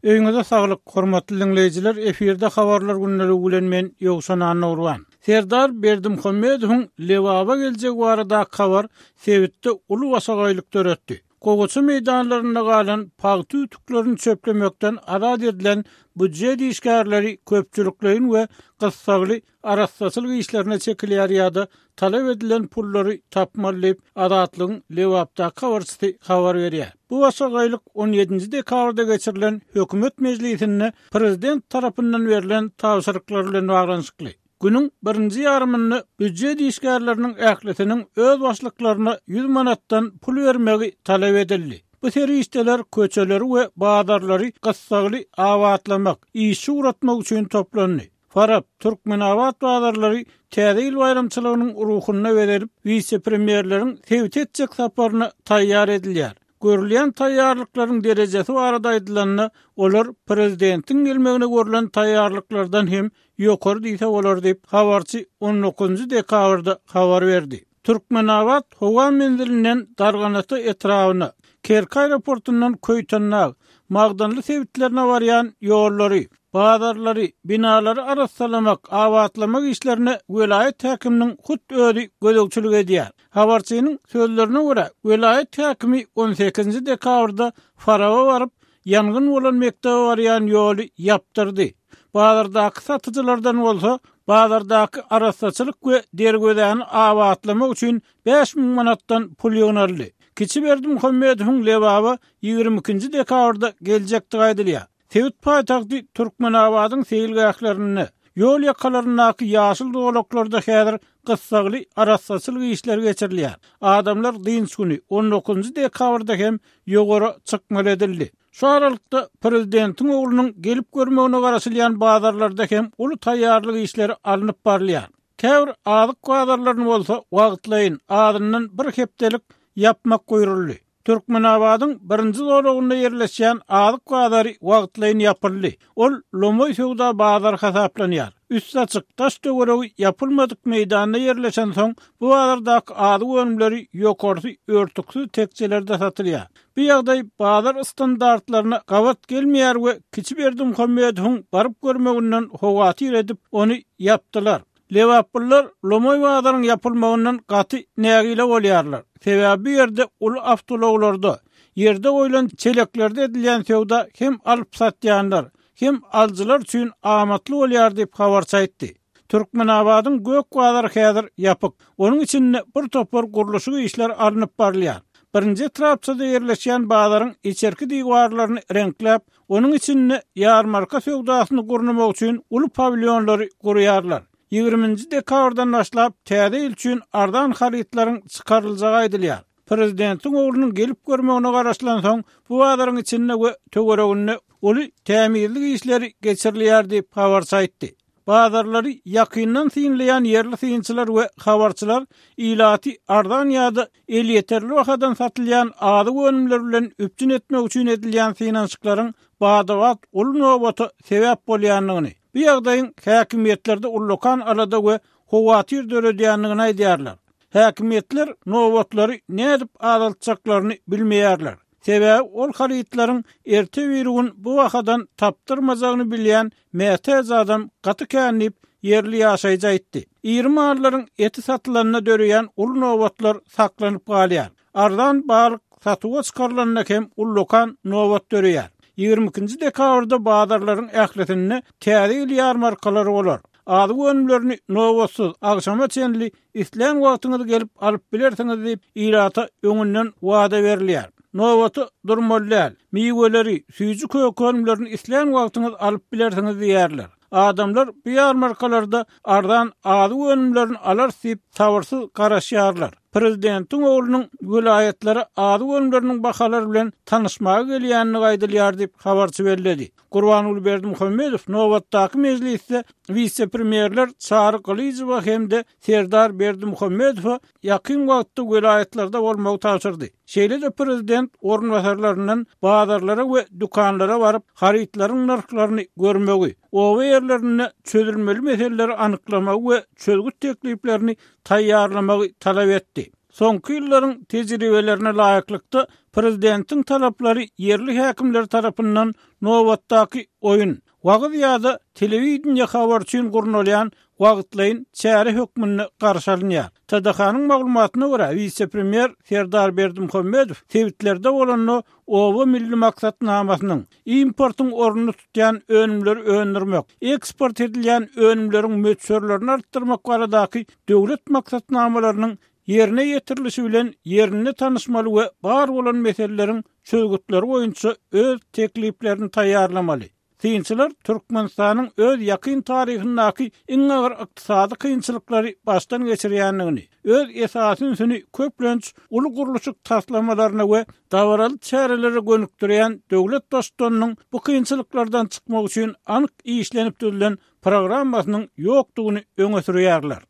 Öýüňize saglyk, hormatly diňleýjiler, efirde Habarlar gündeligi bilen men Ýowşan Annagurban. Serdar Berdimuhamedowyň Lebaba geljegi baradaky habar sebitde uly başagaýlyk döretdi. Gowaça meýdanlarynda galan pagta ütüklerini çöplemekden azat edilen býujet işgärleri köpçülikleýin we gyssagly arassaçylyk işlerine çekilýär ýa-da talap edilen pullary tapmaly diýip, Azatlygyň Lebapdaky habarçysy habar berýär. Bu başagaýlyk on ýedinji dekabrda geçirilen hökümet mejlisinde prezident tarapyndan berlen tabşyryklar bilen baglanyşykly. Günüň birinji ýarymynda býujet işgärleriniň ählisiniň öz başlyklaryna 100 manatdan pul bermegi talap edildi. Bu serişdeler köçeleri we bazarlary gyssagly abatlamak, işçi ugratmak üçin toplandy. Farap, Türkmenabat bazarlary Täze ýyl baýramçylygynyň ruhunda bezelip, wise-premýerleriň sebite etjek saparyna taýýar edilýär. Görülýän taýýarlyklaryň derejesi barada aýdylanda, olar prezidentiň gelmegine görlen taýýarlyklardan hem ýokary diýse bolar diýip, habarçy on dokuzynjy dekabrda habar berdi. Türkmenabat howa menzilinden Darganata etrabyna, Kerki aeroportundan Köýtendag, Magdanly sebitlerine barýan ýollary, bazarlary, binalary arassalamak, abatlamak işlerine welaýat häkiminiň hut özi gözegçilik edýär. Habarçynyň sözlerine görä, welaýat häkimi on sekizinji dekabrda Faraba baryp, ýangyn bolan mekdebe barýan ýoly ýapdyrdy. Bazardaky satyjylardan bolsa, bazardaky arassaçylyk we derwezäni abatlamak üçin 5000 manatdan pul ýygnaldy. Kiçi Berdimuhamedowyň Lebaba 22-nji dekabrda geljekdigi aýdylýar. Sebit paýtagty Türkmenabadyň seýilgählerinde, ýol ýakalaryndaky ýaşyl zolaklarda häzir gyssagly arassaçylyk işleri geçirilýär. Adamlar dynç güni, on dokuzynjy dekabrda hem ýowara çykmaly edildi. Şu aralykda, prezidentiň oglunyň gelip görmegine garaşylýan bazarlarda hem uly taýýarlyk işleri alnyp barylýar. Käbir azyk bazarlaryny bolsa wagtlaýyn, azyndan bir hepdelik ýapmak buýruldy. Türkmenabadyň birinji zolagynda ýerleşýän azyk bazary wagtlaýyn ýapyldy. Ol lomaý söwda bazary hasaplanýar. Üsti açyk, daş-töweregi ýapylmadyk meýdanda ýerleşensoň, bu bazardaky azyk önümleri ýokarsy örtüksiz tekjelerde satylýar. Bu ýagdaý bazar standartlaryna gabat gelmeýär we kiçi Berdimuhamedowyň baryp görmeginden howatyr edip, ony ýapdylar. Lebaplylar lomaý bazaryň ýapylmagyndan gaty nägile bolýarlar. Sebäbi bu ýerde uly awtoulaglarda, ýerde goýlan çeleklerde edilýän söwda hem alyp-satýanlar, hem alyjylar üçin amatly bolýar diýip, habarçy aýtdy. Türkmenabadyň gök bazary häzir ýapyk. Onuň içinde bir topar gurluşyk işleri alnyp barylýar. Birinji etrapçada ýerleşýän bazaryň içerki diwarlaryny reňkläp, Onuň içinde ýarmarka söwdasyny gurnamak üçin uly pawilýonlary gurýarlar. Ýigriminji dekabrdan başlap Täze ýyl üçin arzan harytlaryň çykaryljagy aýdylýar. Prezidentiň oglunyň gelip görmegine garaşylansoň, bu bazaryň içinde we töwereginde uly tämizlik işleri geçirilýär diýip, habarçy aýtdy. Bazarlary ýakyndan synlaýan ýerli synçylar we habarçylar ilaty arzan ýa-da elýeterli bahadan satylýan azyk önümleri bilen üpjün etmek üçin edilýän synanyşyklaryň bada-bat uly nobata sebäp bolýandygyny, bu ýagdaýyň häkimiýetlerde ullakan alada we howatyr döredýändigini aýdýarlar. Häkimiýetler nobatlary nädip azaltjaklaryny bilmeýärler. Sebäbi ol harytlaryň erte-birigün bu bahadan tapdyrmajagyny bilýän mätäç adam gaty kän diýip, ýerli ýaşaýjy aýtdy. Iri mallaryň eti satylanda döreýän uly nobatlar saklanyp galýar. Arzan balyk satuwa çykarylanda hem ullakan nobat döreýär. 22-nji dekabrda bazarlaryň ählisinde Täze ýyl ýarmarkalary bolar. Azyk önümlerini nobatsyz, agşama çenli islän wagtyňyz gelip alyp bilersiňiz diýip, ilata öňünden wada berilýär. Nobata durmaly däl. Miweleri, süýji-köke önümlerini islän wagtyňyz alyp bilersiňiz diýýärler. Adamlar bu ýarmarkalarda arzan azyk önümlerini alarys diýip sabyrsyz garaşýarlar. Prezidentiň oglunyň welaýatlara azyk önümleriniň bahalary bilen tanyşmaga gelýändigi aýdylýar diýip, habarçy belledi. Gurbanguly Berdimuhamedow nobatdaky mejlisde wise-premýerler Çary Gylyjowa hem-de Serdar Berdimuhamedowa ýakyn wagtda welaýatlarda bolmagy tabşyrdy. Şeýle-de prezident orunbasarlaryndan bazarlara we dükanlara baryp, harytlaryň nyrhlaryny görmegi, oba ýerlerinde çözülmeli meseleleri anyklamagy we çözgüt tekliplerini taýýarlamagy talap etdi. Soňky ýyllaryň tejribelerine laýyklykda, prezidentiň talaplary ýerli häkimler tarapyndan nobatdaky oýun, wagyz ýa-da telewideniýe habary üçin gurnalýan wagtlaýyn çäre hökmünde garşy alynýar. TDH-nyň maglumatyna görä, wise-premýer Serdar Berdimuhamedow sebitlerde bolanda Oba milli maksatnamasynyň, importyň ornuny tutýan önümleri öndürmek, eksport edilýän önümleriň möçberlerini artdyrmak baradaky döwlet maksatnamalarynyň ýerine ýetirilişi bilen ýerinde tanyşmaly we bar bolan meseleleriň çözgütleri boýunça öz tekliplerini taýýarlamaly. Synçylar Türkmenistanyň öz ýakyn taryhyndaky iň agyr ykdysady kynçylyklary başdan geçirýändigini, öz esasy ünsüni köplenç uly gurluşyk taslamalaryna we dabaraly çärelere gönükdirýän döwlet baştutanynyň bu kynçylyklardan çykmak üçin anyk işlenip düzülen programmasynyň ýokdugyny öňe sürýärler.